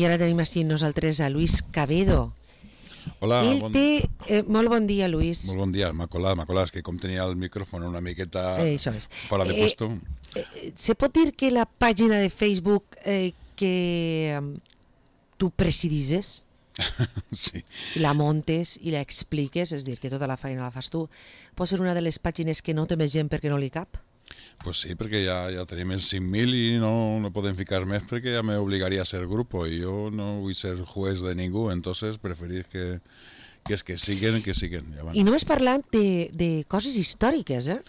I ara tenim així nosaltres a Luis Cabedo. Hola, molt bon dia, Luis. Molt bon dia, m'ha colat, és que com tenia el micròfon una miqueta fora de puesto. ¿Se pot dir que la pàgina de Facebook que tu presidises, sí, la montes i la expliques, és a dir, que tota la feina la fas tu, pot ser una de les pàgines que no té més gent perquè no li cap? Pues sí, perquè ja tenim els 5.000 i no podem ficar més perquè ja m'obligaria a ser grupo i jo no vull ser juez de ningú, entonces preferís que siguen. Ja van. I només parlant de coses històriques, eh?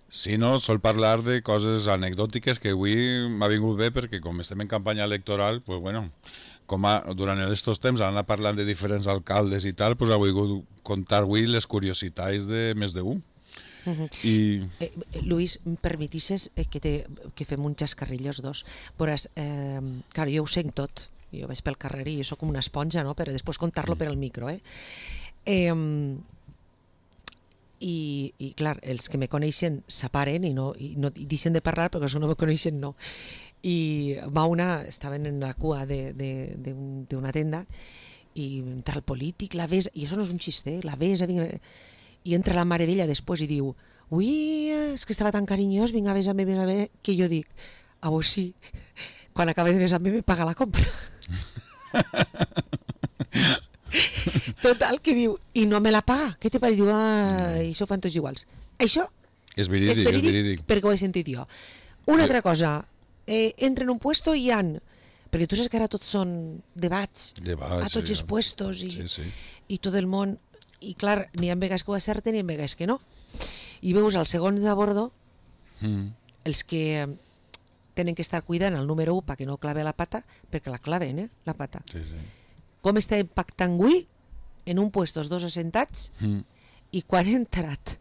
Sí, no, sol parlar de coses anecdòtiques que avui m'ha vingut bé perquè com estem en campanya electoral, pues bueno, durant aquests temps han anat parlant de diferents alcaldes i tal, pues ha volgut contar avui les curiositats de més d'un. Luis, em permetisses que fem un xascarrillos dos. Veuràs, clar, jo ho sent tot, jo vaig pel carrer i soc com una esponja, no? Per després contar-lo per al micro, i clar, els que me coneixen s'aparen i deixen de parlar, perquè els que no me coneixen no. I estaven en la cua d'una tenda i entra el polític, la ves, i això no és un xiste, la ves, i entra la mare d'ella després i diu: ui, és que estava tan carinyós, vinga, besa'm, que jo dic: a vos sí, quan acaba de besar-me me paga la compra. Total, que diu, i no me la paga, què te pareix? Diu, això fan tots iguals. Això és verídic, perquè ho he sentit jo. Una altra cosa, entra en un puesto i perquè tu saps que ara tots són debats a tots els puestos i tot el món, i clar, n'hi ha vegades que ho acerten i n'hi ha vegades que no, i veus al segon de bordo els que tenen que estar cuidant el número 1 perquè no clave la pata, perquè la claven, la pata. Com està impactant avui en un puesto els dos assentats i quan he entrat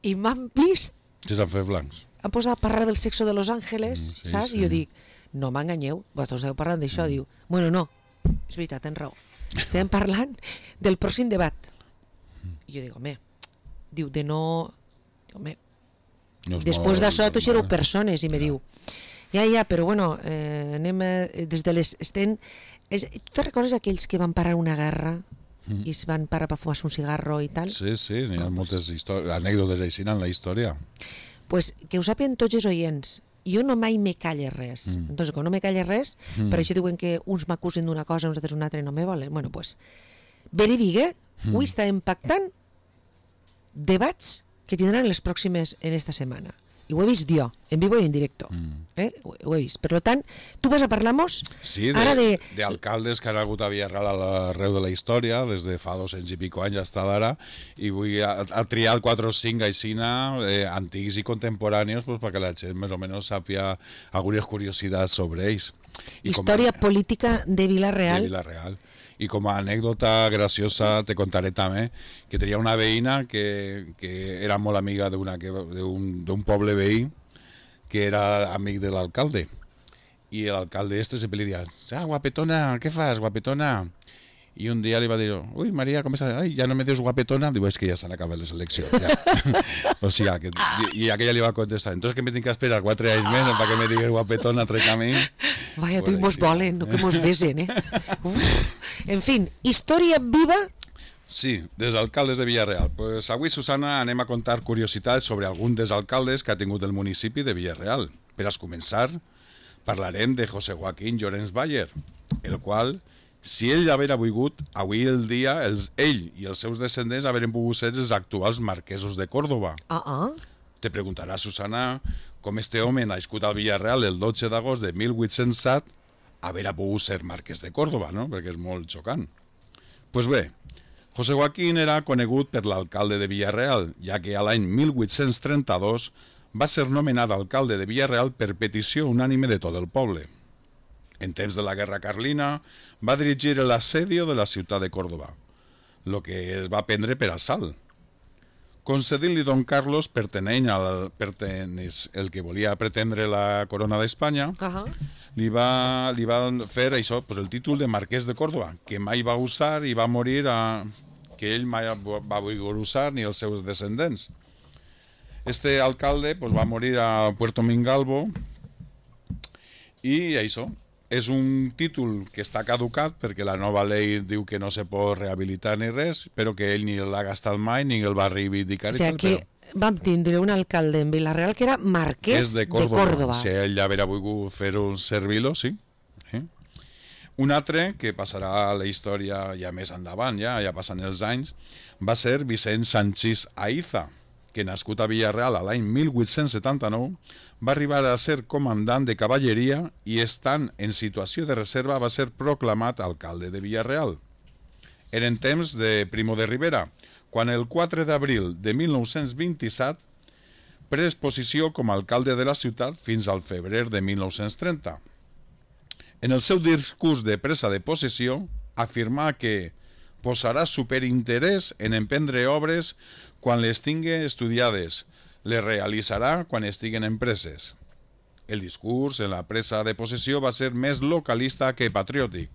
i m'han vist que s'han fet blancs, han posat a parlar del sexo de Los Ángeles, saps? I jo dic, no m'enganyeu, vosaltres esteu parlant d'això. Diu, bueno, no, és veritat, tens raó, estem parlant del pròxim debat. I jo dic, home, diu, després d'això tots éreu persones, i me diu, ja, però bueno, anem des de les... Tu te recordes aquells que van parar una guerra i es van parar per fumar un cigarro i tal? Sí, n'hi ha moltes anècdotes així en la història. Pues que ho sàpien tots els oients, jo no mai me calle res. Entonces, quan no me calle res, per això diuen que uns m'acusen d'una cosa, uns altres una altra i no me volen. Bueno, pues, verídic, avui està impactant debats que tindran les pròximes en esta setmana. I ho he vist jo, en vivo i en directo. Ho he vist. Per tant, tu vas a parlar-nos ara d'alcaldes que han hagut a Villarreal arreu de la història, des de fa 200 i pico anys hasta d'ara, i vull triar 4 o 5 aixina antics i contemporanis perquè la gent més o menys sàpia algunes curiositats sobre ells. Història política de Vila-real. I com a anècdota graciosa te contaré també que tenia una veïna que era molt amiga d'un poble veí que era amic de l'alcalde, i l'alcalde sempre li deia: guapetona, què fas, guapetona? I un dia li va dir: ui, Maria, com estàs? Ai, ja no me dius guapetona? Diu, és que ja s'han acabat les eleccions. O sigui, i aquella li va contestar: entonces que me tinc que esperar 4 anys més perquè me digues guapetona entre camí. Vaya, tu mos volen, no que mos besen, En fin, història viva. Sí, dels alcaldes de Villarreal. Pues avui, Susana, anem a contar curiositats sobre algun dels alcaldes que ha tingut el municipi de Villarreal. Per a començar, parlarem de José Joaquín Llorens Bayer, el qual, si ell haguera volgut, avui el dia ell i els seus descendents haurien pogut ser els actuals marquesos de Córdoba. Te preguntarà, Susana, com este home nascut al Villarreal el 12 d'agost de 1807 haurà pogut ser marquès de Córdoba, no? Perquè és molt xocant. Pues bé, José Joaquín era conegut per l'alcalde de Villarreal, ja que a l'any 1832 va ser nomenat alcalde de Villarreal per petició unànime de tot el poble. En temps de la Guerra Carlina va dirigir l'assedio de la ciutat de Córdoba, el que es va prendre per assalt. Concedint-li Don Carlos, pertenent el que volia pretendre la corona d'Espanya, li va fer això, el títol de marquès de Córdoba, que mai va usar i va morir, que ell mai va voler usar ni els seus descendents. Este alcalde va morir a Puerto Mingalvo i això, és un títol que està caducat perquè la nova llei diu que no se pot rehabilitar ni res, però que ell ni l'ha gastat mai ni el va reivindicar. O sigui, que vam tindre un alcalde en Vila-real que era marquès de Córdoba. Si ell ja haurà volgut fer-ho servir-lo, sí. Un altre, que passarà a la història ja més endavant, ja passen els anys, va ser Vicent Sanchís Aiza, que nascut a Vila-real a l'any 1879, va arribar a ser comandant de cavalleria i estant en situació de reserva va ser proclamat alcalde de Vila-real. Eren temps de Primo de Rivera, quan el 4 d'abril de 1927 pres posició com a alcalde de la ciutat fins al febrer de 1930. En el seu discurs de presa de possessió afirmà que posarà superinterès en emprendre obres quan les tingui estudiades, les realitzarà quan estiguen empreses. El discurs en la presa de possessió va ser més localista que patriòtic,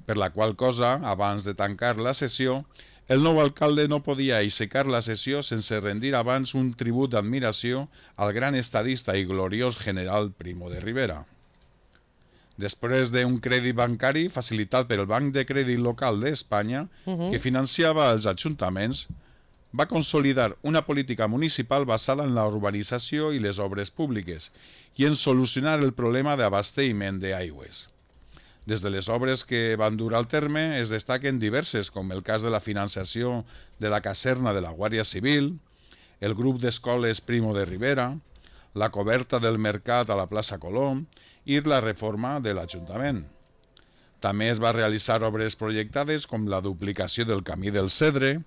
per la qual cosa, abans de tancar la sessió, el nou alcalde no podia aixecar la sessió sense rendir abans un tribut d'admiració al gran estadista i gloriós general Primo de Rivera. Després d'un crèdit bancari facilitat per el Banc de Crèdit Local d'Espanya, que financiava els ajuntaments, va consolidar una política municipal basada en la urbanització i les obres públiques i en solucionar el problema d'abastiment d'aigües. Des de les obres que van dur al terme es destaquen diverses, com el cas de la financiació de la caserna de la Guàrdia Civil, el grup d'escoles Primo de Rivera, la coberta del mercat a la plaça Colom i la reforma de l'Ajuntament. També es va realitzar obres projectades com la duplicació del camí del Cedre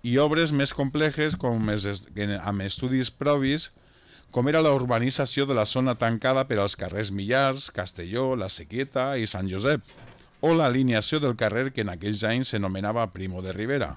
i obres més complexes amb estudis previs, com era la urbanització de la zona tancada per als carrers Millars, Castelló, La Sequieta i Sant Josep, o l'alineació del carrer que en aquells anys s'anomenava Primo de Rivera.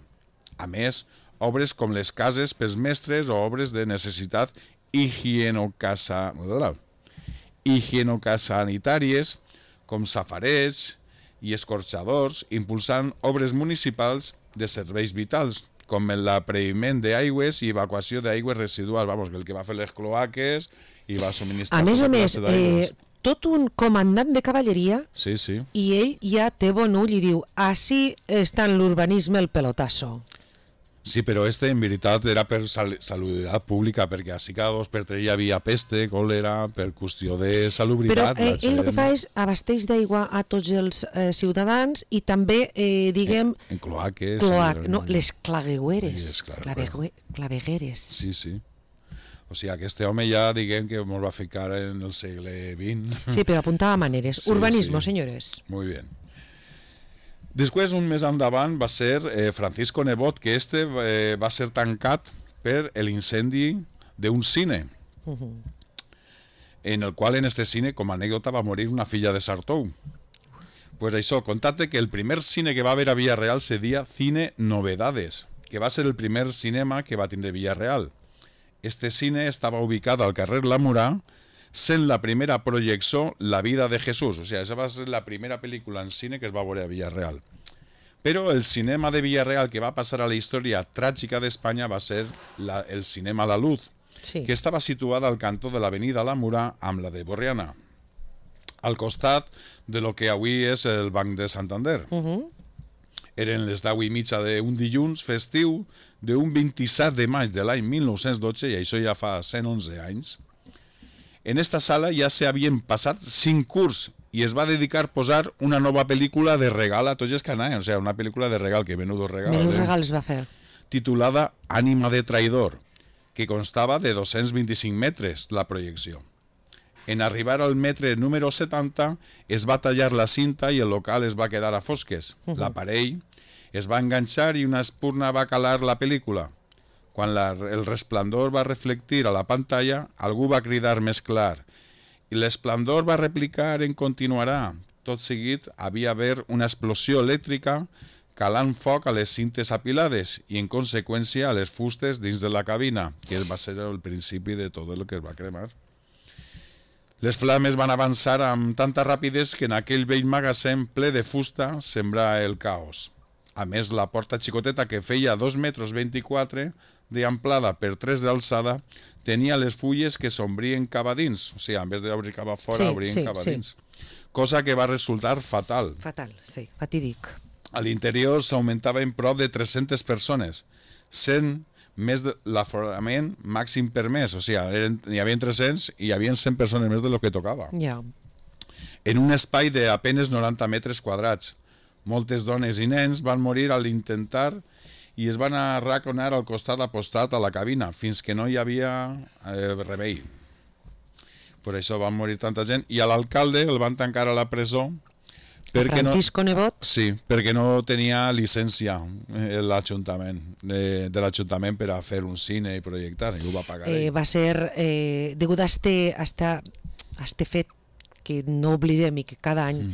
A més, obres com les cases pels mestres o obres de necessitat higienosanitàries, com safarers i escorxadors, impulsant obres municipals de serveis vitals, com l'apreiment d'aigües i evacuació d'aigües residuals, el que va fer les cloaques i va subministrar... A més, tot un comandant de cavalleria, sí. I ell ja té bon ull i diu, així està en l'urbanisme el pelotasso. Sí, però en veritat era per salubritat pública, perquè així cada 2 per 3 hi havia peste, còlera, per qüestió de salubritat. Però ell el que fa és abasteix d'aigua a tots els ciutadans i també, diguem... En cloaques. Les clavegueres. Clavegueres. Sí. O sigui, aquest home ja, diguem, que ens va ficar en el segle XX. Sí, però apuntava maneres. Urbanismo, senyores. Muy bien. Després, un mes endavant, va ser Francisco Nebot, que va ser tancat per l'incendi d'un cine, en el qual en este cine, com a anècdota, va morir una filla de Sartou. Pues això, contate que el primer cine que va haver a Vila-real se deia Cine Novedades, que va ser el primer cinema que va tindre Vila-real. Este cine estava ubicat al carrer La Murà, sent la primera projecció La vida de Jesús. O sigui, aquesta va ser la primera pel·lícula en cine que es va veure a Vila-real. Però el cinema de Vila-real que va passar a la història tràgica d'Espanya va ser el cinema La Luz, que estava situada al cantó de l'avenida La Murà amb la de Borriana, al costat de lo que avui és el Banc de Santander. Eren les 10:30 d'un dilluns festiu d'un 27 de maig de l'any 1912, i això ja fa 111 anys. En esta sala ja s'havien passat 5 curs i es va dedicar a posar una nova pel·lícula de regal a tots els que anaven, o sigui, una pel·lícula de regal, que menudo regal. Menudo regal es va fer. Titulada Ànima de traïdor, que constava de 225 metres la projecció. En arribar al metre número 70 es va tallar la cinta i el local es va quedar a fosques. L'aparell es va enganxar i una espurna va calar la pel·lícula. Quan el resplendor va reflectir a la pantalla, algú va cridar més clar i l'esplendor va replicar en continuarà. Tot seguit havia haver una explosió elèctrica calant foc a les cintes apilades i en conseqüència a les fustes dins de la cabina, que va ser el principi de tot el que es va cremar. Les flames van avançar amb tanta rapidesa que en aquell vell magatzem ple de fusta sembrà el caos. A més, la porta xicoteta, que feia 2,24 m d'amplada per 3 d'alçada, tenia les fulles que s'ombrien cap a dins, o sigui, en vez d'obrir cap a fora, obrien cap a dins. cosa que va resultar fatal. Fatal, sí, fatídic. A l'interior s'augmentava en prop de 300 persones, sent més de l'aforament màxim permès, o sigui, n'hi havia 300 i hi havia 100 persones més de lo que tocava. Ja. En un espai d'apenes 90 metres quadrats. Moltes dones i nens van morir al intentar i es van arraconar al costat apostat a la cabina fins que no hi havia remei. Per això van morir tanta gent i a l'alcalde el van tancar a la presó perquè Francisco Nebot? Sí, perquè no tenia llicència l'Ajuntament de l'Ajuntament per a fer un cine i projectar, i ho va pagar ell. Va ser, degut a este fet que no oblidem i que cada any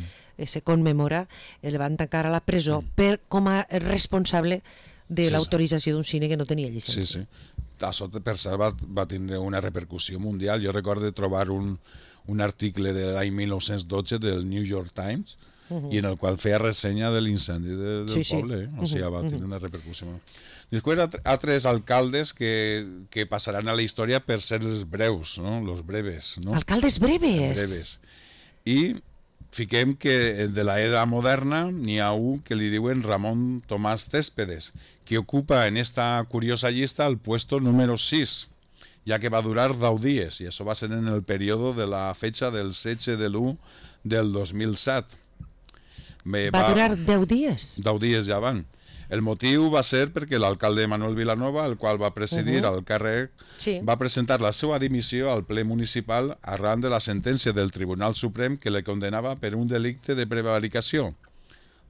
se commemora, el van tancar a la presó com a responsable de l'autorització d'un cine que no tenia llicència. Sí, sí. Això, per cert, va tindre una repercussió mundial. Jo recordo trobar un article de l'any 1912 del New York Times i en el qual feia ressenya de l'incendi del poble. O sigui, va tenir una repercussió. Després, altres alcaldes que passaran a la història per ser els breus, no? Los breves. No? Alcaldes breves. I fiquem que de l'era moderna n'hi ha un que li diuen Ramon Tomàs Céspedes, que ocupa en esta curiosa llista el puesto número 6, ja que va durar 10 dies, i això va ser en el període de la fetxa del 16 de l'1 del 2007. Va durar 10 dies? 10 dies ja van. El motiu va ser perquè l'alcalde Manuel Vilanova, el qual va presidir el càrrec, va presentar la seva dimissió al ple municipal arran de la sentència del Tribunal Suprem que le condenava per un delicte de prevaricació.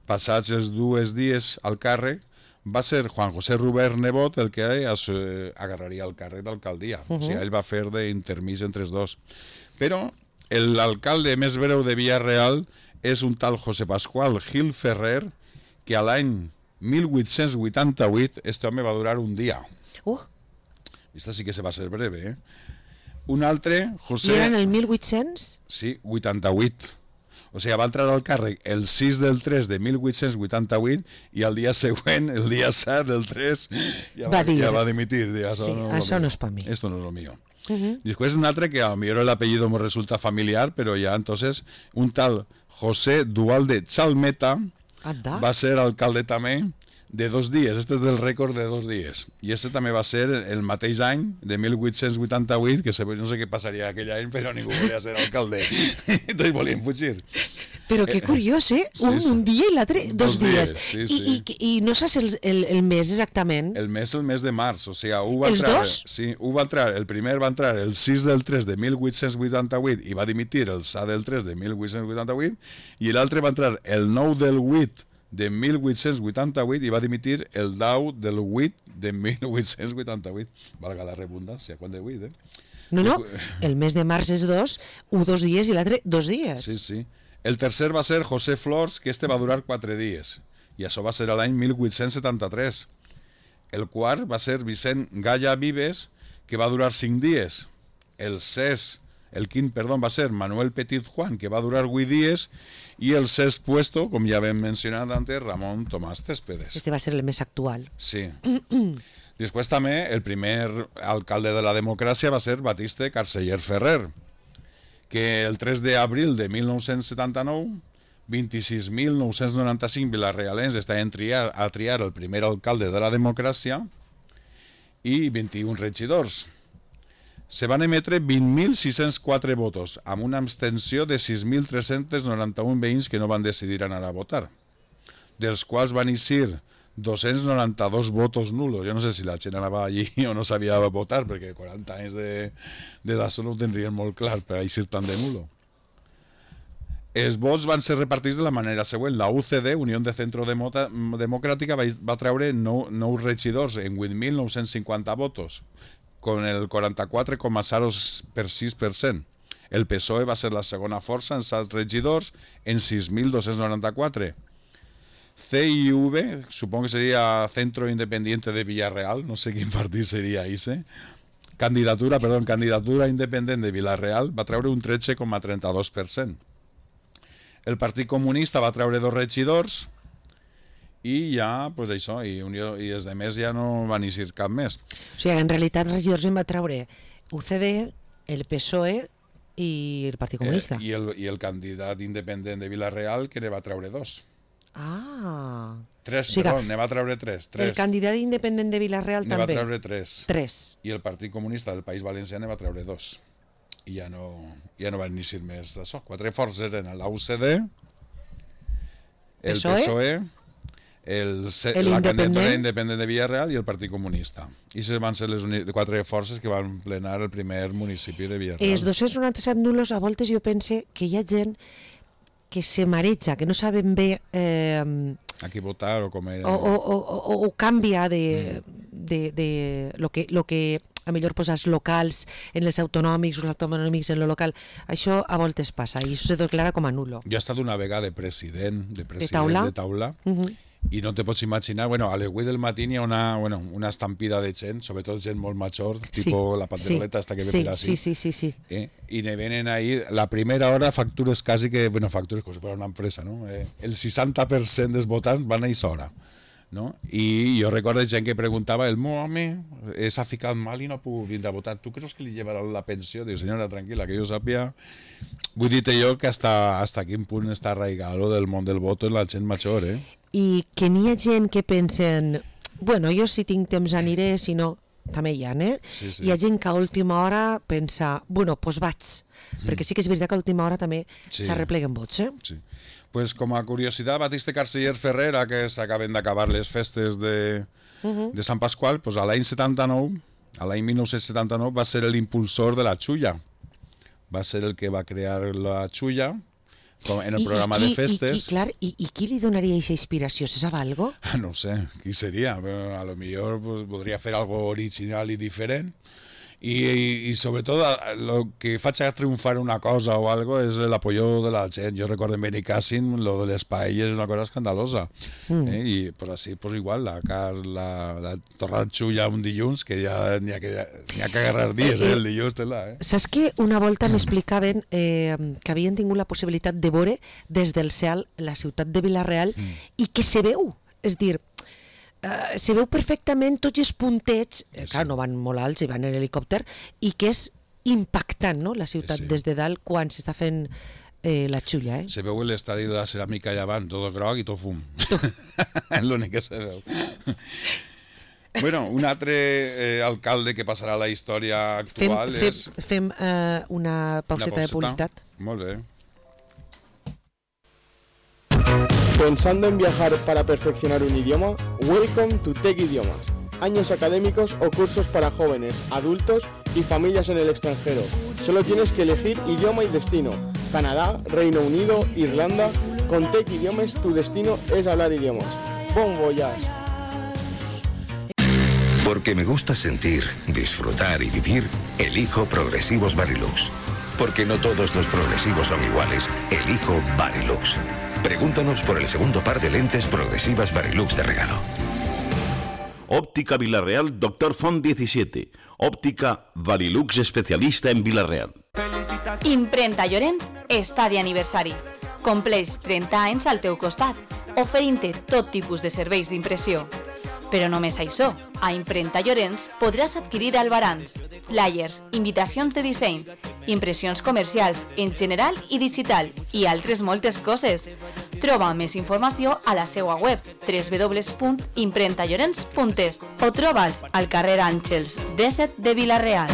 Passats els 2 dies al càrrec, va ser Juan José Robert Nebot el que agarraria el càrrec d'alcaldia. O sigui, ell va fer d'intermís entre els dos. Però l'alcalde més breu de Villarreal és un tal José Pascual Gil Ferrer, que a l'any 1888 este home va durar un dia. Esta sí que se va ser breve, Un altre, José... I era en el 1800? Sí, 88. O sigui, va entrar al càrrec el 6 del 3 de 1888 i el dia següent, el dia 7 del 3, ja va dimitir. Sí, això no és per mi. Esto no es lo mío. Después un altre que a lo mejor el apellido me resulta familiar, pero ya entonces un tal José Dualde Chalmeta va ser alcalde també de 2 dies. Este és del rècord de 2 dies. I este també va ser el mateix any de 1888, que no sé què passaria aquell any, però ningú volia ser alcalde. Tots volien fugir. Però que curiós, un dia i l'altre 2 dies. I no saps el mes exactament? El mes de març. O sigui, els dos? Sí, el primer va entrar el 6 del 3 de 1888 i va dimitir el 7 del 3 de 1888 i l'altre va entrar el 9 del 8 de 1888 i va dimitir el 10 del 8 de 1888. Valga la redundància, quan de 8, No, el mes de març és 2 dies i l'altre 2 dies. Sí. El tercer va ser José Flors, que este va durar 4 dies, i això va ser l'any 1873. El quart va ser Vicent Galla Vives, que va durar 5 dies. El quint va ser Manuel Petit Juan, que va durar 8 dies, i el sexto puesto, com ja vam mencionat antes, Ramon Tomàs Céspedes. Este va ser el més actual. Sí. Després també el primer alcalde de la democràcia va ser Batiste Carceller Ferrer, que el 3 d'abril de 1979 26.995 vilarrealens estaven a triar el primer alcalde de la democràcia i 21 regidors. Se van emetre 20.604 votos, amb una abstenció de 6.391 veïns que no van decidir anar a votar, dels quals van eixir 292 votos nulos. Jo no sé si la gent anava allí o no sabia votar, perquè 40 anys d'edat no ho tindrien molt clar per eixir tant de nulo. Els vots van ser repartits de la manera següent. La UCD, Unió de Centro Democràtica, va treure 9 regidors en 8.950 votos, con el 44,06%. El PSOE va ser la segona força en 7 regidors en 6.294. CIV, supongo que sería Centro Independiente de Villarreal, no sé quin partit seria ese. Candidatura Independent de Villarreal va treure un 13,32%. El Partit Comunista va treure 2 regidors i ja, pues això, i els demés ja no van eixir cap més. O sigui, en realitat regidors en va treure UCD, el PSOE i el Partit Comunista. I el candidat independent de Vila-real, que ne va treure 2. Tres, perdó, ne va treure 3. El candidat independent de Vila-real també. Ne va treure 3. 3. I el Partit Comunista del País Valencià ne va treure 2. I ja no van iniciar més d'això. 4 forces eren l'UCD, el PSOE, la candidatura independent de Vila-real i el Partit Comunista. I van ser les 4 forces que van plenar el primer municipi de Vila-real. Els 297 nulos, a voltes jo pense que hi ha gent que se mareja, que no saben bé a qui votar o com o canvia de lo que a millor posar els locals en els autonòmics o els autonòmics en lo local. Això a voltes passa i això se declara com a nulo. Jo he estat una vegada de president de taula. I no te pots imaginar, a les 8 del matí hi ha una estampida de gent, sobretot gent molt major, tipo la panderoleta hasta que ve per així. Sí. I ne venen ahí, la primera hora factures quasi que, factures com si fos una empresa, no? El 60% dels votants van a aquesta hora. No? I jo recordo gent que preguntava, el meu home s'ha ficat mal i no ha pogut vindre a votar, tu creus que li llevaran la pensió? Diu, senyora, tranquil·la, que jo sàpia. Vull dir-te jo que hasta quin punt està arraigat del món del voto en la gent major, I que n'hi ha gent que pensen, jo si tinc temps aniré, si no, també hi ha, Sí. Hi ha gent que a última hora pensa, doncs vaig, perquè sí que és veritat que a última hora també s'arrepleguen vots, Sí. Pues com a curiositat, Batiste Carceller Ferrera, que s'acaben d'acabar les festes de Sant Pasqual, pues a l'any 1979 va ser l'impulsor de la xulla. Va ser el que va crear la xulla en el programa de festes. I qui li donaria aquesta inspiració? Se sap algo? No sé, qui seria? A lo millor podria fer algo original i diferent. I sobretot el que faig a triomfar una cosa o algo és l'apoyo de la gent. Jo recordo en Benicàssim lo de les paelles és una cosa escandalosa. I pues així, pues igual, la torrar xulla un dilluns, que ja n'hi ha que agarrar dies, el dilluns té-la. Saps que una volta m'explicaven que havien tingut la possibilitat de veure des del cel la ciutat de Vila-real i que se veu, és dir, se veu perfectament tots els puntets, clar, no van molt alts, van en helicòpter, i que és impactant, no?, la ciutat des de dalt quan s'està fent la xulla. Se veu l'estadi de la ceràmica allà avant, tot groc i tot fum. És l'únic que se veu. Un altre alcalde que passarà a la història actual és... Fem una pauseta de publicitat. Molt bé. ¿Pensando en viajar para perfeccionar un idioma? Welcome to Tech Idiomas. Años académicos o cursos para jóvenes, adultos y familias en el extranjero. Solo tienes que elegir idioma y destino. Canadá, Reino Unido, Irlanda. Con Tech Idiomas tu destino es hablar idiomas. Bon voyage. Porque me gusta sentir, disfrutar y vivir, elijo Progresivos Varilux. Porque no todos los progresivos son iguales, elijo Varilux. Pregúntanos por el segundo par de lentes progresivas Varilux de regalo. Óptica Vila-real, Dr. Font 17. Óptica Varilux especialista en Vila-real. Imprenta Llorenç està d'aniversari. Compleix 30 anys al teu costat, oferint-te tot tipus de serveis d'impressió. Però només això, a Imprenta Llorenç podràs adquirir albarans, flyers, invitacions de disseny, impressions comercials en general i digital i altres moltes coses. Troba més informació a la seva web www.imprentallorenç.es o troba'ls al carrer Àngels 17 de Vila-real.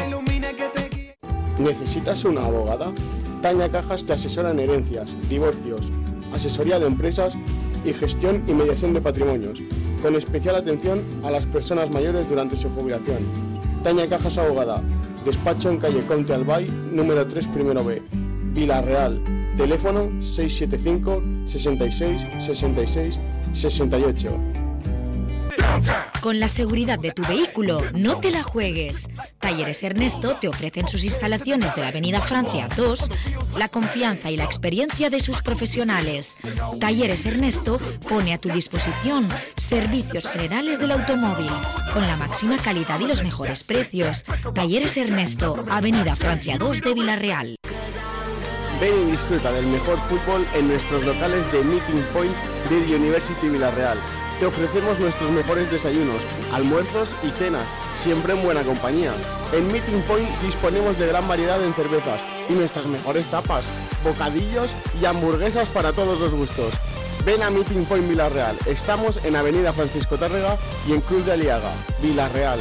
¿Necesitas una abogada? Tania Cajas te asesora en herencias, divorcios, asesoría de empresas y gestión y mediación de patrimonios, con especial atención a las personas mayores durante su jubilación. Tania Cajas Abogada, despacho en calle Conte Albay, número 3, primero B, Vila-real, teléfono 675 66 66 68. Con la seguridad de tu vehículo, no te la juegues. Talleres Ernesto te ofrecen sus instalaciones de la Avenida Francia 2, la confianza y la experiencia de sus profesionales. Talleres Ernesto pone a tu disposición servicios generales del automóvil, con la máxima calidad y los mejores precios. Talleres Ernesto, Avenida Francia 2 de Vila-real. Ven y disfruta del mejor fútbol en nuestros locales de Meeting Point de University Vila-real. Te ofrecemos nuestros mejores desayunos, almuerzos y cenas siempre en buena compañía. En Meeting Point disponemos de gran variedad en cervezas y nuestras mejores tapas, bocadillos y hamburguesas para todos los gustos. Ven a Meeting Point Vila-real. Estamos en Avenida Francisco Tárrega y en Cruz de Aliaga, Vila-real.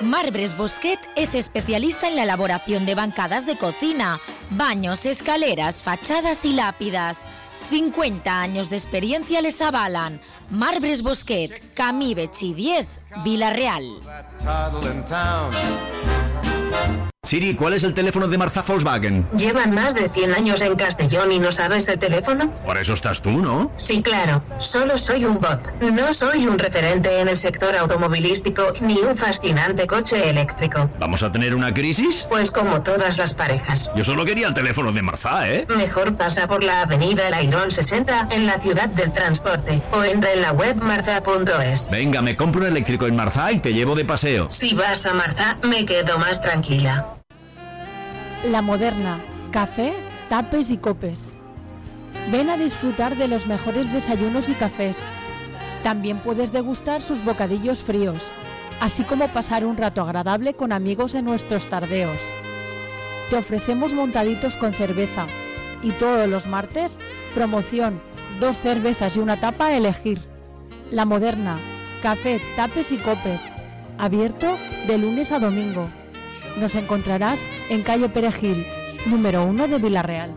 Marbres Bosquet es especialista en la elaboración de bancadas de cocina, baños, escaleras, fachadas y lápidas. 50 años de experiencia les avalan. Marbres Bosquet, Camí Betxí 10, Vila-real. Siri, ¿cuál es el teléfono de Marzá Volkswagen? Llevan más de 100 años en Castellón y no sabes el teléfono. Por eso estás tú, ¿no? Sí, claro. Solo soy un bot. No soy un referente en el sector automovilístico ni un fascinante coche eléctrico. ¿Vamos a tener una crisis? Pues como todas las parejas. Yo solo quería el teléfono de Marzá, ¿eh? Mejor pasa por la avenida Lairón 60 en la ciudad del transporte o entra en la web marzá.es. Venga, me compro un eléctrico en Marzá y te llevo de paseo. Si vas a Marzá, me quedo más tranquila. La Moderna, café, tapes y copes. Ven a disfrutar de los mejores desayunos y cafés. También puedes degustar sus bocadillos fríos, así como pasar un rato agradable con amigos en nuestros tardeos. Te ofrecemos montaditos con cerveza y todos los martes, promoción, 2 cervezas y una tapa a elegir. La Moderna, café, tapes y copes. Abierto de lunes a domingo. Nos encontrarás en calle Perejil, número 1 de Vila-real.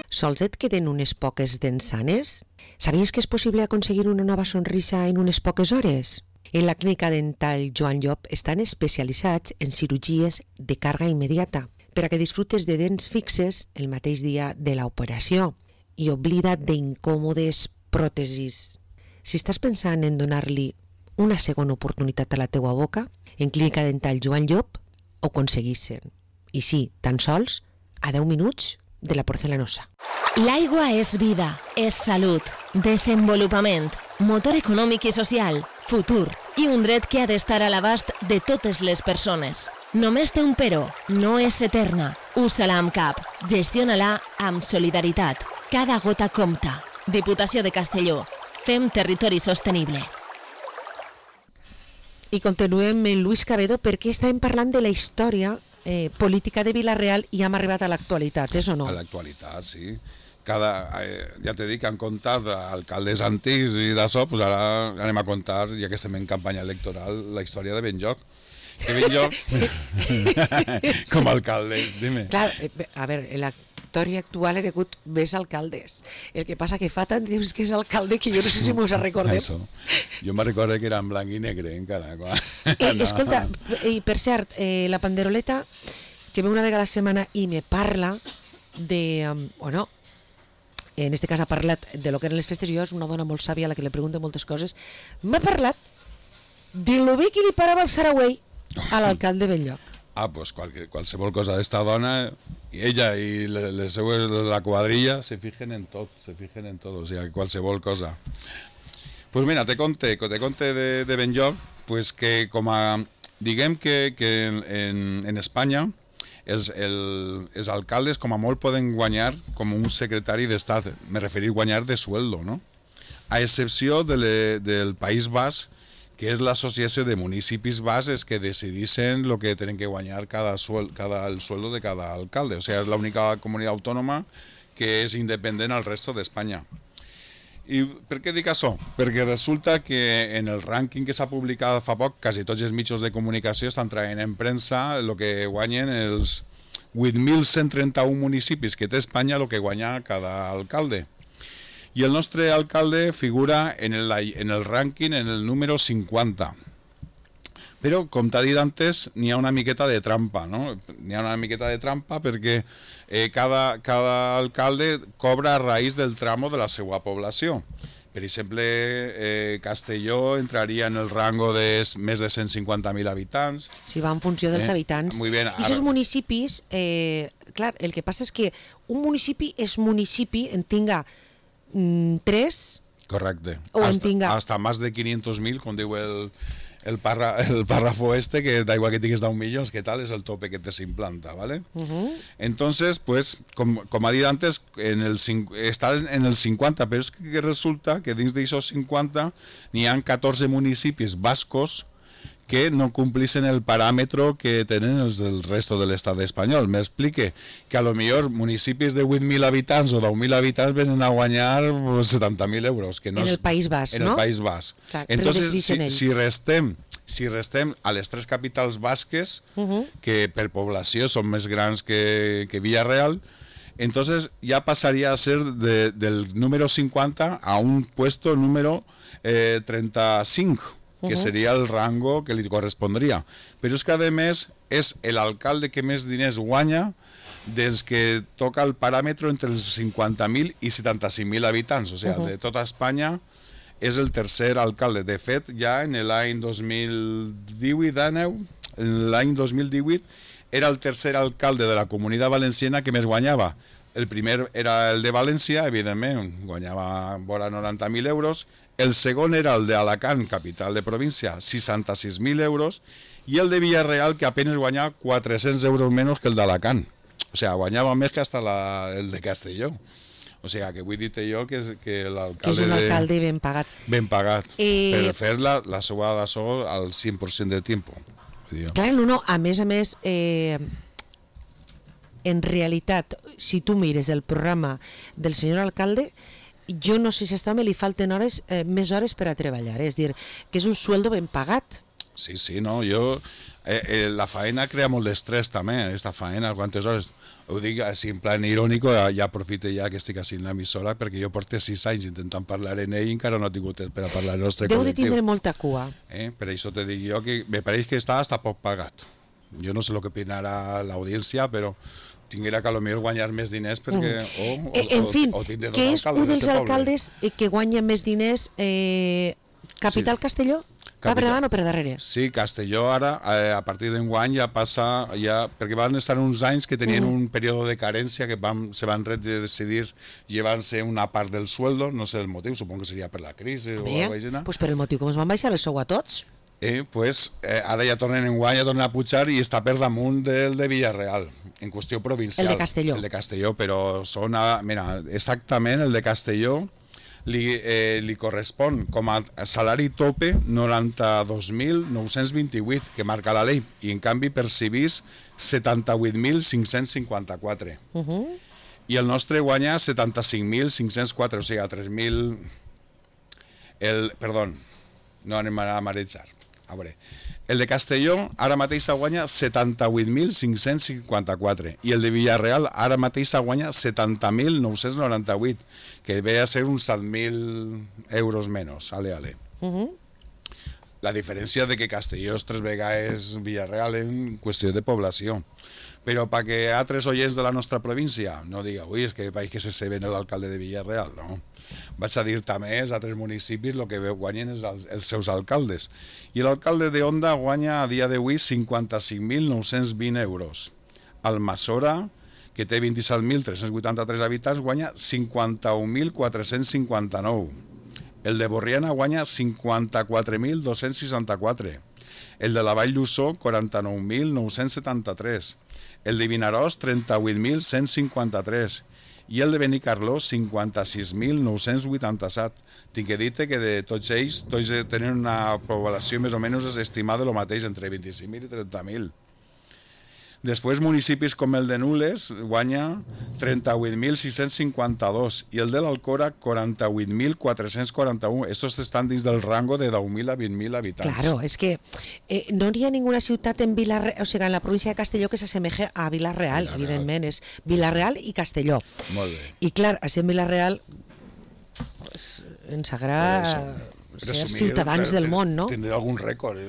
Sols et queden unes poques dents sanes? Sabies que és possible aconseguir una nova sonrisa en unes poques hores? En la clínica dental Joan Llop estan especialitzats en cirurgies de càrrega immediata per a que disfrutes de dents fixes el mateix dia de l'operació i oblida't d'incòmodes pròtesis. Si estàs pensant en donar-li una segona oportunitat a la teua boca, en clínica dental Joan Llop ho aconseguissin. I sí, tan sols a 10 minuts de la porcelanosa. L'aigua és vida, és salut, desenvolupament, motor econòmic i social, futur i un dret que ha d'estar a l'abast de totes les persones. Només té un però, no és eterna. Usa-la amb cap, gestiona-la amb solidaritat. Cada gota compta. Diputació de Castelló. Fem territori sostenible. I continuem amb Luis Cabedo perquè estàvem parlant de la història política de Vila-real i hem arribat a l'actualitat, és o no? A l'actualitat, sí. Ja t'he dit que han contat alcaldes antics i d'això, doncs ara anem a contar, ja que estem en campanya electoral, la història de Benlloc. Que Benlloc, com a alcaldes, dime. Clar, a veure, la història actual ha hagut més alcaldes. El que passa que fa tant temps que és alcalde que jo no sé si mos recordem. Això. Jo me recordo que era en blanc i negre encara. Escolta, i per cert, la Panderoleta, que ve una vegada a la setmana i me parla de... o no, en este cas ha parlat de lo que eren les festes, jo és una dona molt sàvia a la que li pregunto moltes coses, m'ha parlat de lo bé que li parava el Saragüell a l'alcalde de Benlloc. Pues qualsevol cosa d'esta dona, i ella i les seues de la quadrilla se fijen en tot, o sigui, qualsevol cosa. Pues mira, te conte de Benlloc, pues que com a, diguem que en Espanya els alcaldes com a molt poden guanyar com un secretari d'estat, me referir guanyar de sueldo, ¿no? A excepció del País Basc, que és l'associació de municipis bases que decidissin lo que tenen que guanyar el sueldo de cada alcalde. O sea, és l'única comunitat autònoma que és independent al resto d'Espanya. I per què dic això? Perquè resulta que en el rànquing que s'ha publicat fa poc, quasi tots els mitjans de comunicació estan traient en premsa el que guanyen els 8.131 municipis que té Espanya, el que guanya cada alcalde. I el nostre alcalde figura en el rànquing en el número 50. Però, com t'ha dit antes, n'hi ha una miqueta de trampa, no? N'hi ha una miqueta de trampa perquè cada alcalde cobra a raïs del tramo de la seva població. Per exemple, Castelló entraria en el rango de més de 150.000 habitants. Si va en funció dels habitants. Muy bien. I aquests municipis, clar, el que passa és que un municipi és municipi, en tinga 3... Correcte. O en tinga... Hasta más de 500.000, com diu el párrafo que da igual que tinguis 10 milions, que tal, és el tope que te s'implanta, ¿vale? Entonces, pues, com ha dit antes, està en el 50, però és que resulta que dins d'aixòs 50 n'hi ha 14 municipis bascos que no complixen el paràmetre que tenen els del resto de l'estat espanyol. M'explique que a lo millor municipis de 8.000 habitants o 10.000 habitants venen a guanyar 70.000 euros. Que no en el País Basc, en no? el País Basc. Clar, entonces, si restem a les tres capitals basques, que per població són més grans que Villarreal, entonces ya pasaría a ser del número 50 a un puesto número 35, que sería el rango que li correspondria. Però és que, a més, és l'alcalde que més diners guanya dels que toca el paràmetre entre els 50.000 i 75.000 habitants. O sigui, de tota Espanya és el tercer alcalde. De fet, ja en l'any 2018 era el tercer alcalde de la Comunitat Valenciana que més guanyava. El primer era el de València, evidentment, guanyava vora 90.000 euros. El segon era el d'Alacant, capital de província, 66.000 euros, i el de Villarreal, que apenas guanyava 400 euros menys que el d'Alacant. O sigui, guanyava més que hasta el de Castelló. O sigui, que vull dir-te jo que l'alcalde... Que és un alcalde ben pagat. Ben pagat, per fer la seva d'això al 100% del temps. Clar, no, a més, en realitat, si tu mires el programa del senyor alcalde, jo no sé si a este home li falten més hores per a treballar, és dir, que és un sueldo ben pagat. Sí, no, la faena crea molt d'estrès també, esta faena, quantes hores... Ho dic així en plan irònic, ja aprofite ja que estic així en l'emissora, perquè jo porto 6 anys intentant parlar en ell i encara no he tingut temps per a parlar en el nostre col·lectiu. Deu de tindre molta cua. Per això te dic jo que me pareix que està hasta poc pagat. Jo no sé el que opinarà l'audiència, però tinguera que potser guanyar més diners perquè... En fi, que és un dels alcaldes que guanya més diners capital Castelló? Va per davant o per darrere? Sí, Castelló ara, a partir d'enguany ja passa, perquè van estar uns anys que tenien un període de carència que se van decidir llevar-se una part del sueldo, no sé el motiu, supongo que seria per la crisi o alguna cosa així. Pues per el motiu que ens van baixar el sou a tots. Ara ja tornen enguany, ja tornen a pujar i està per damunt del de Villarreal, en qüestió provincial. El de Castelló. El de Castelló, però són, mira, exactament el de Castelló li correspon com a salari tope 92.928 que marca la llei i en canvi percibís 78.554 i el nostre guanya 75.504, o sigui a 3.000 perdó, no anem a marejar. A veure, el de Castelló ara mateix guanya 78.554 i el de Villarreal ara mateix guanya 70.998, que ve a ser uns 7.000 euros menys, ale. La diferència de que Castelló és 3 vegades Villarreal en qüestió de població. Però perquè altres oients de la nostra província no diga, ui, és que veig que se ven l'alcalde de Villarreal, no? Vaig a dir també als altres municipis el que guanyen els seus alcaldes. I l'alcalde de Onda guanya a dia d'avui 55.920 euros. Almassora, que té 27.383 habitants, guanya 51.459. El de Borriana guanya 54.264. El de la Vall d'Ussó, 49.973. El de Vinaròs, 38.153. I el de Benicarló, 56.987. Tinc que dir que de tots ells, tots tenen una població més o menys estimada el mateix, entre 25.000 i 30.000. Després, municipis com el de Nules guanya 38.652 i el de l'Alcora 48.441. Estos estan dins del rango de 10.000 a 20.000 habitants. Claro, es que no hi ha ninguna ciutat en Villarreal, o sigui, en la província de Castelló que s'assemeje a Villarreal, evidentment, és Villarreal i Castelló. Molt bé. I clar, així en Villarreal ens agrada ser ciutadans del món, no? Tindré algun rècord.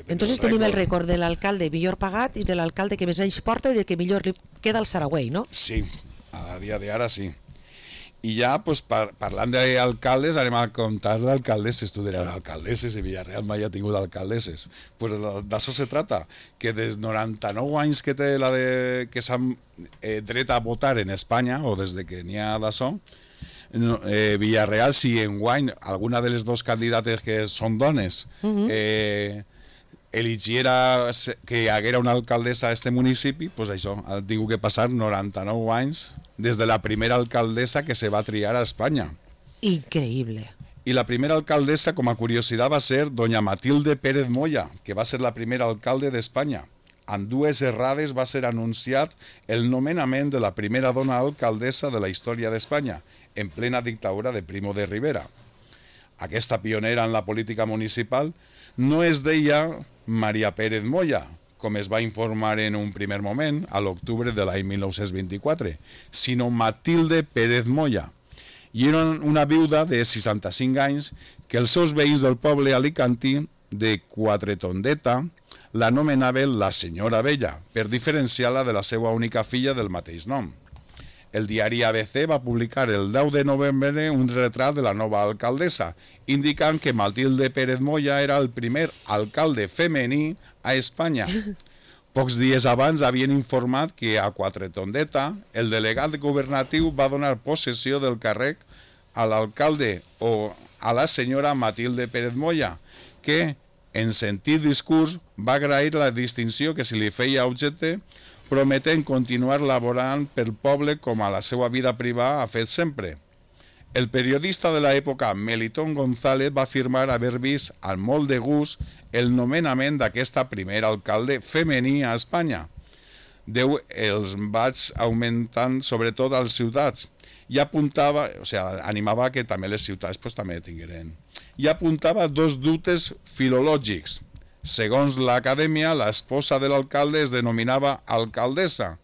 Entonces tenim el rècord de l'alcalde millor pagat i de l'alcalde que més anys porta i de que millor li queda al Saragüell, no? Sí, a dia d'ara sí. I ja, pues, parlant d'alcaldes, anem a contar d'alcaldesses. Tu diràs, alcaldesses, i Villarreal mai ha tingut alcaldesses. Pues d'això se trata, que des 99 anys que té que s'han dret a votar en Espanya, o des de que n'hi ha d'això, Villarreal, si enguany alguna de les dos candidates que són dones eligiera que hi haguera una alcaldessa a este municipi, pues això, ha tingut que passar 99 anys des de la primera alcaldessa que se va triar a Espanya. Increïble. I la primera alcaldessa, com a curiositat, va ser doña Matilde Pérez Moya, que va ser la primera alcalde d'Espanya. En 2 errades va ser anunciat el nomenament de la primera dona alcaldessa de la història d'Espanya, en plena dictadura de Primo de Rivera. Aquesta pionera en la política municipal no es deia Maria Pérez Moya, com es va informar en un primer moment, a l'octubre de l'any 1924, sinó Matilde Pérez Moya. I era una viuda de 65 anys que els seus veïns del poble alicantí de Quatretondeta l'anomenaven la senyora Vella, per diferenciar-la de la seva única filla del mateix nom. El diari ABC va publicar el 10 de novembre un retrat de la nova alcaldessa, indicant que Matilde Pérez Moya era el primer alcalde femení a Espanya. Pocs dies abans havien informat que a Quatretondeta el delegat governatiu va donar possessió del càrrec a l'alcalde o a la senyora Matilde Pérez Moya, que, en sentit discurs, va agrair la distinció que se li feia objecte, prometent continuar laborant pel poble com a la seva vida privada ha fet sempre. El periodista de l'època Melitón González va afirmar haver vist amb molt de gust el nomenament d'aquesta primera alcalde femení a Espanya. Déu els vaig augmentant sobretot als ciutats i apuntava, animava que també les ciutats també tingueren. I apuntava 2 dubtes filològics. Segons l'acadèmia, l'esposa de l'alcalde es denominava alcaldessa.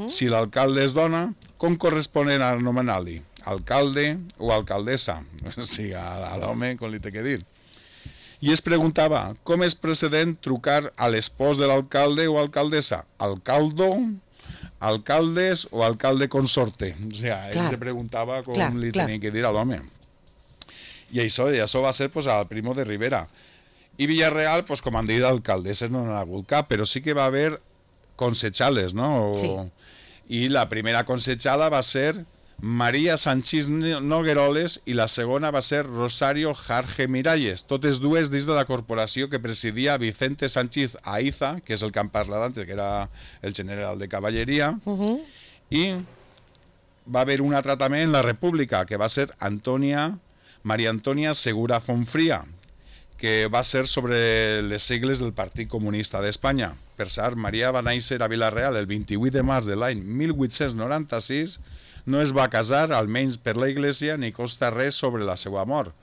Si l'alcalde és dona, com corresponen a anomenar-li? Alcalde o alcaldessa? O sigui, a l'home, com li té que dir. I es preguntava, com és precedent trucar a l'espòs de l'alcalde o alcaldessa? Alcaldo, alcaldes o alcalde consorte? O sigui, ell se preguntava com li tenien que dir a l'home. I això va ser al Primo de Rivera. I Villarreal, com han dit, alcaldesses no n'ha hagut cap, però sí que va haver consejales, no? Sí. I la primera consejala va ser Maria Sanchís Nogueroles i la segona va ser Rosario Jarge Miralles, totes dues dins de la corporació que presidia Vicente Sánchez Aiza, que és el que hem parlat antes, que era el general de cavalleria, i va haver un altre també en la República, que va ser Maria Antònia Segura Fonfria, que va ser sobre les sigles del Partit Comunista d'Espanya. Per cert, Maria va néixer a Vila-real el 28 de març de l'any 1896, no es va casar, almenys per la Iglesia, ni consta res sobre la seva mort.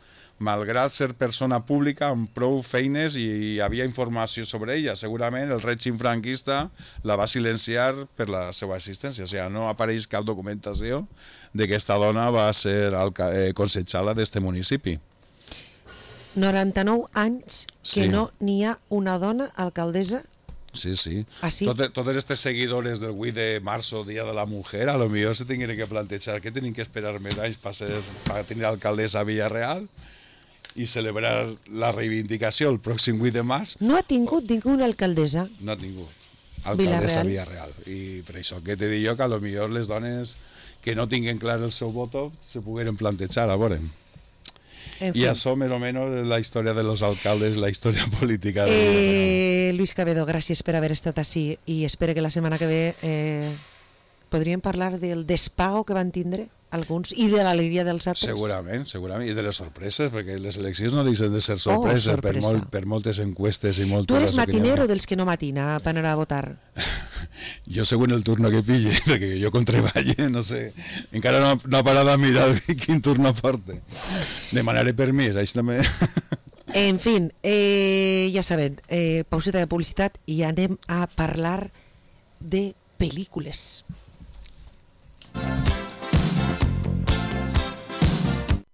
Malgrat ser persona pública amb prou feines i hi havia informació sobre ella, segurament el règim franquista la va silenciar per la seva existència. O sigui, no apareix cap documentació de que esta dona va ser consejala d'este municipi. 99 anys que no n'hi ha una dona alcaldessa. Sí, sí. ¿Ah, sí? Todos estos seguidores del 8 de marzo, Día de la Mujer, a lo mejor se tienen que plantear que tienen que esperar medallas para tener alcaldesa a Villarreal i celebrar la reivindicació el pròxim 8 de març. No ha tingut ninguna alcaldessa? No ha tingut alcaldessa a Villarreal. I per això que te dic jo que a lo millor les dones que no tinguen clar el seu voto se pogueren plantejar, a veure. I això, més o menys, la història de los alcaldes, la història política de Villarreal. Luis Cabedo, gràcies per haver estat així i espero que la setmana que ve podríem parlar del despago que van tindre alguns i de l'alegria dels altres. Segurament, i de les sorpreses, perquè les eleccions no deixen de ser sorpreses per moltes encuestes i moltes... Tu eres matinero dels que no matina per anar a votar? Jo segons el turno que pille, perquè jo con treballe, no sé, encara no ha parat a mirar quin turno porte. Demanaré permís, això també... En fi, ja saben, pauseta de publicitat i anem a parlar de pel·lícules.